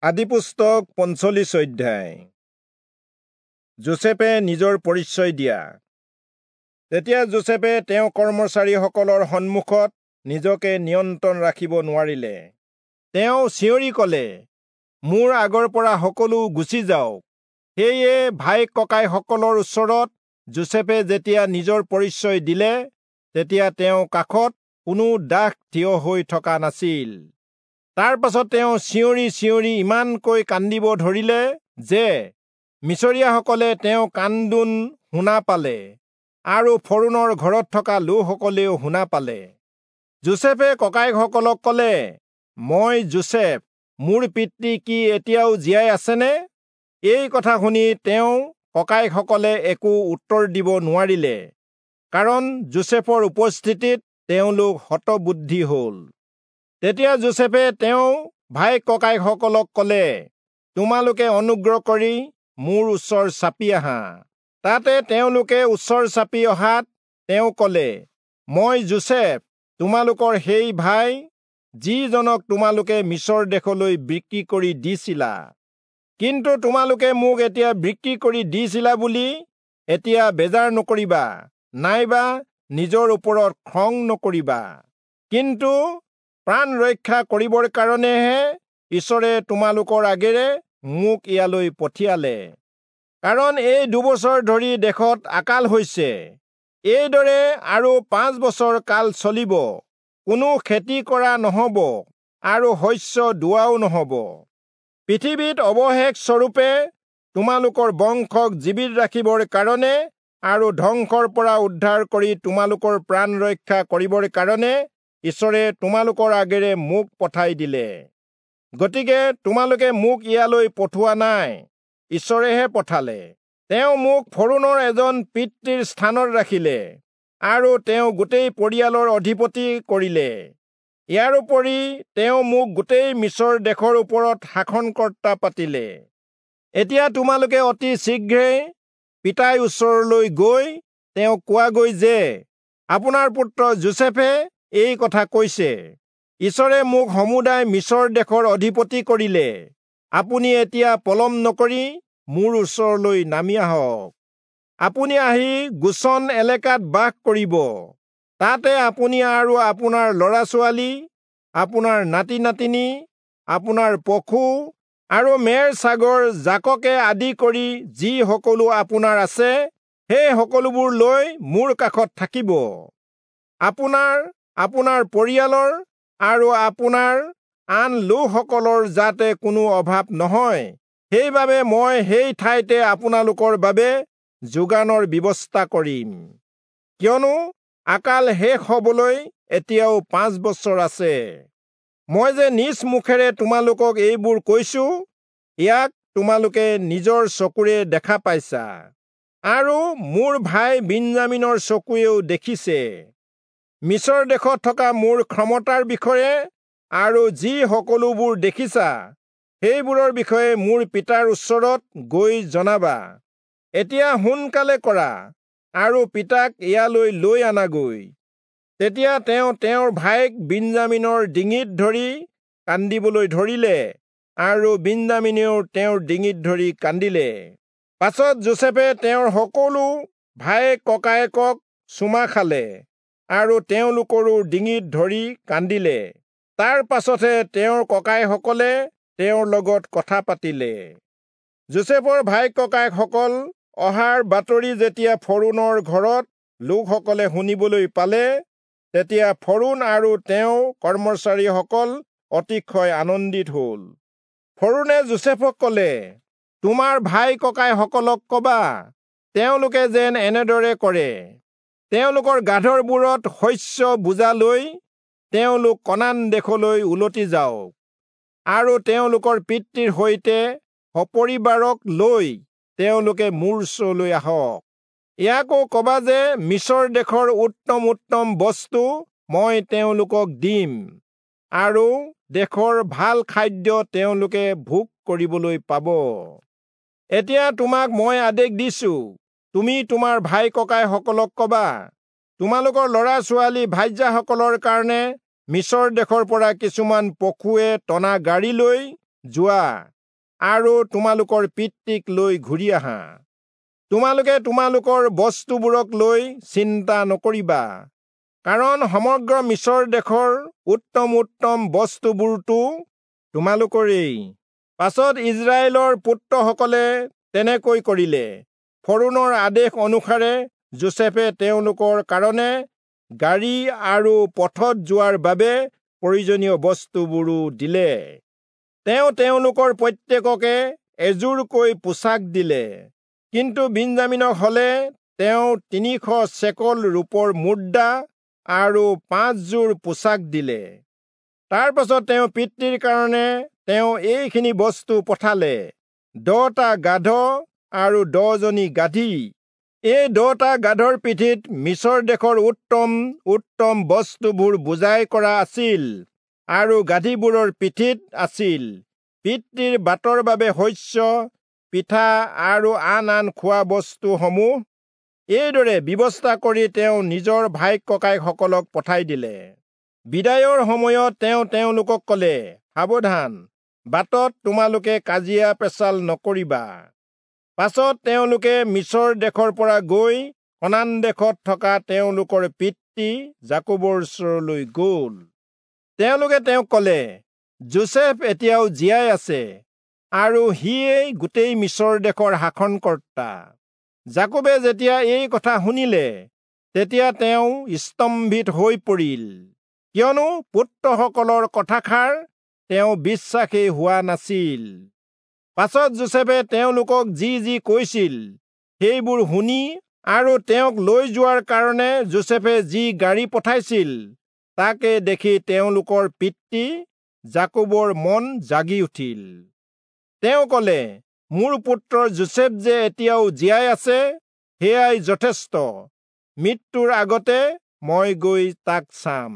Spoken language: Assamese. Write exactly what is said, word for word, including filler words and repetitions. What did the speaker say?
আদিপুস্তক পঞ্চল্লিশ অধ্যায়। যোচেফে নিজৰ পৰিচয় দিয়া। তেতিয়া যোচেফে তেওঁ কৰ্মচাৰীসকলৰ সন্মুখত নিজকে নিয়ন্ত্ৰণ ৰাখিব নোৱাৰিলে। তেওঁ চিঞৰি কলে, মোৰ আগৰ পৰা সকলো গুচি যাওক। সেয়ে ভাই ককাইসকলৰ ওচৰত যোচেফে যেতিয়া নিজৰ পৰিচয় দিলে, তেতিয়া তেওঁ কাষত কোনো দাস থিয় হৈ থকা নাছিল। তাৰ পাছত তেওঁ চিঞৰি চিঞৰি ইমানকৈ কান্দিব ধৰিলে যে মিচৰীয়াসকলে তেওঁ কান্দোন শুনা পালে আৰু ফৰোণৰ ঘৰত থকা লোকসকলেও শুনা পালে। যোচেফে ককায়েকসকলক কলে, মই যোচেফ, মোৰ পিতৃ কি এতিয়াও জীয়াই আছেনে? এই কথা শুনি তেওঁ ককায়েকসকলে একো উত্তৰ দিব নোৱাৰিলে, কাৰণ যোচেফৰ উপস্থিতিত তেওঁলোক হতবুদ্ধি হল। তেতিয়া যোচেফে তেওঁ ভাই ককায়েকসকলক কলে, তোমালোকে অনুগ্ৰহ কৰি মোৰ ওচৰ চাপি আহা। তাতে তেওঁলোকে ওচৰ চাপি অহাত তেওঁ কলে, মই যোচেফ, তোমালোকৰ সেই ভাই, যিজনক তোমালোকে মিচৰ দেশলৈ বিক্ৰী কৰি দিছিলা। কিন্তু তোমালোকে মোক এতিয়া বিক্ৰী কৰি দিছিলা বুলি এতিয়া বেজাৰ নকৰিবা, নাইবা নিজৰ ওপৰত খং নকৰিবা। কিন্তু প্ৰাণ ৰক্ষা কৰিবৰ কাৰণেহে ঈশ্বৰে তোমালোকৰ আগেৰে মোক ইয়ালৈ পঠিয়ালে। কাৰণ এই দুবছৰ ধৰি দেশত আকাল হৈছে, এইদৰে আৰু পাঁচ বছৰ কাল চলিব, কোনো খেতি কৰা নহব আৰু শস্য দোৱাও নহব। পৃথিৱীত অৱশেষ স্বৰূপে তোমালোকৰ বংশক জীৱিত ৰাখিবৰ কাৰণে আৰু ধ্বংসৰ পৰা উদ্ধাৰ কৰি তোমালোকৰ প্ৰাণ ৰক্ষা কৰিবৰ কাৰণে ঈশ্বৰে তোমালোকৰ আগেৰে মোক পঠাই দিলে। গতিকে তোমালোকে মোক ইয়ালৈ পঠোৱা নাই, ঈশ্বৰেহে পঠালে। তেওঁ মোক ফৰোণৰ এজন পিতৃৰ স্থানত ৰাখিলে আৰু তেওঁ গোটেই পৰিয়ালৰ অধিপতি কৰিলে। ইয়াৰোপৰি তেওঁ মোক গোটেই মিচৰ দেশৰ ওপৰত শাসনকৰ্তা পাতিলে। এতিয়া তোমালোকে অতি শীঘ্ৰে পিতাই ওচৰলৈ গৈ তেওঁক কোৱাগৈ যে আপোনাৰ পুত্ৰ যোচেফে এই কথা কৈছে, ঈশ্বৰে মোক সমুদায় মিচৰ দেশৰ অধিপতি কৰিলে। আপুনি এতিয়া পলম নকৰি মোৰ ওচৰলৈ নামি আহক। আপুনি আহি গোচন এলেকাত বাস কৰিব। তাতে আপুনি আৰু আপোনাৰ ল'ৰা ছোৱালী, আপোনাৰ নাতি নাতিনী, আপোনাৰ পশু আৰু মেৰ ছাগৰ জাককে আদি কৰি যি সকলো আপোনাৰ আছে, সেই সকলোবোৰ লৈ মোৰ কাষত থাকিব। আপোনাৰ, আপোনাৰ পৰিয়ালৰ আৰু আপোনাৰ আন লোকসকলৰ যাতে কোনো অভাৱ নহয়, সেইবাবে মই সেই ঠাইতে আপোনালোকৰ বাবে যোগানৰ ব্যৱস্থা কৰিম। কিয়নো আকাল শেষ হবলৈ এতিয়াও পাঁচ বছৰ আছে। মই যে নিজ মুখেৰে তোমালোকক এইবোৰ কৈছো, ইয়াক তোমালোকে নিজৰ চকুৰে দেখা পাইছা আৰু মোৰ ভাই বিন্যামীনৰ চকুৱেও দেখিছে। মিচৰ দেশত থকা মোৰ ক্ষমতাৰ বিষয়ে আৰু যি সকলোবোৰ দেখিছা, সেইবোৰৰ বিষয়ে মোৰ পিতাৰ ওচৰত গৈ জনাবা। এতিয়া সোনকালে কৰা আৰু পিতাক ইয়ালৈ লৈ আনাগৈ। তেতিয়া তেওঁ তেওঁৰ ভায়েক বিন্যামীনৰ ডিঙিত ধৰি কান্দিবলৈ ধৰিলে আৰু বিন্যামীনেও তেওঁৰ ডিঙিত ধৰি কান্দিলে। পাছত যোচেফে তেওঁৰ সকলো ভায়েক ককায়েকক চুমা খালে আৰু তেওঁলোকৰো ডিঙিত ধৰি কান্দিলে। তাৰ পাছতহে তেওঁৰ ককাইসকলে তেওঁৰ লগত কথা পাতিলে। যোচেফৰ ভাই ককায়েকসকল অহাৰ বাতৰি যেতিয়া ফৰোণৰ ঘৰত লোকসকলে শুনিবলৈ পালে, তেতিয়া ফৰোণ আৰু তেওঁৰ কৰ্মচাৰীসকল অতিশয় আনন্দিত হল। ফৰোণে যোচেফক কলে, তোমাৰ ভাই ককাইসকলক কবা, তেওঁলোকে যেন এনেদৰে কৰে। তেওঁলোকৰ গাধৰবোৰত শস্য বোজা লৈ তেওঁলোক কনান দেশলৈ উলটি যাওক আৰু তেওঁলোকৰ পিতৃৰ সৈতে সপৰিবাৰক লৈ তেওঁলোকে মোৰ ওচৰলৈ আহক। ইয়াকো কবা যে মিচৰ দেশৰ উত্তম উত্তম বস্তু মই তেওঁলোকক দিম আৰু দেশৰ ভাল খাদ্য তেওঁলোকে ভোগ কৰিবলৈ পাব। এতিয়া তোমাক মই আদেশ দিছো, তুমি তোমাৰ ভাই ককাইসকলক কবা, তোমালোকৰ ল'ৰা ছোৱালী ভাৰ্যাসকলৰ কাৰণে মিচৰ দেশৰ পৰা কিছুমান পশুৱে টনা গাড়ী লৈ যোৱা আৰু তোমালোকৰ পিতৃক লৈ ঘূৰি আহা। তোমালোকে তোমালোকৰ বস্তুবোৰক লৈ চিন্তা নকৰিবা, কাৰণ সমগ্ৰ মিচৰ দেশৰ উত্তম উত্তম বস্তুবোৰতো তোমালোকৰেই। পাছত ইস্ৰায়েলৰ পুত্ৰসকলে তেনেকৈ কৰিলে। ফৰৌণৰ আদেশ অনুসাৰে যোচেফে তেওঁলোকৰ কাৰণে গাড়ী আৰু পথত যোৱাৰ বাবে প্ৰয়োজনীয় বস্তুবোৰো দিলে। তেওঁ তেওঁলোকৰ প্ৰত্যেককে এযোৰকৈ পোছাক দিলে, কিন্তু বিন্যামীনক হলে তেওঁ তিনিশ চেকল ৰূপৰ মুদ্ৰা আৰু পাঁচযোৰ পোছাক দিলে। তাৰ পাছত তেওঁ পিতৃৰ কাৰণে তেওঁ এইখিনি বস্তু পঠালে, দহটা গাধ আৰু দহজনী গাধী। এই দহটা গাধৰ পিঠিত মিচৰ দেশৰ উত্তম উত্তম বস্তুবোৰ বোজাই কৰা আছিল আৰু গাধীবোৰৰ পিঠিত আছিল পিতৃৰ বাটৰ বাবে শস্য, পিঠা আৰু আন আন খোৱা বস্তুসমূহ। এইদৰে ব্যৱস্থা কৰি তেওঁ নিজৰ ভাইক ককাইকসকলক পঠাই দিলে। বিদায়ৰ সময়ত তেওঁ তেওঁলোকক কলে, সাৱধান, বাটত তোমালোকে কাজিয়া পেচাল নকৰিবা। পাছত তেওঁলোকে মিচৰ দেশৰ পৰা গৈ কনান দেশত থকা তেওঁলোকৰ পিতৃ যাকোবৰ ওচৰলৈ গল। তেওঁলোকে তেওঁক কলে, যোচেফ এতিয়াও জীয়াই আছে আৰু সিয়েই গোটেই মিচৰ দেশৰ শাসনকৰ্তা। যাকোবে যেতিয়া এই কথা শুনিলে, তেতিয়া তেওঁ স্তম্ভিত হৈ পৰিল, কিয়নো পুত্ৰসকলৰ কথাষাৰ তেওঁ বিশ্বাসেই হোৱা নাছিল। পাছত যোচেফে তেওঁলোকক যি যি কৈছিল সেইবোৰ শুনি আৰু তেওঁক লৈ যোৱাৰ কাৰণে যোচেফে যি গাড়ী পঠাইছিল তাকে দেখি তেওঁলোকৰ পিতৃ যাকোবৰ মন জাগি উঠিল। তেওঁ কলে, মোৰ পুত্ৰ যোচেফ যে এতিয়াও জীয়াই আছে সেয়াই যথেষ্ট, মৃত্যুৰ আগতে মই গৈ তাক চাম।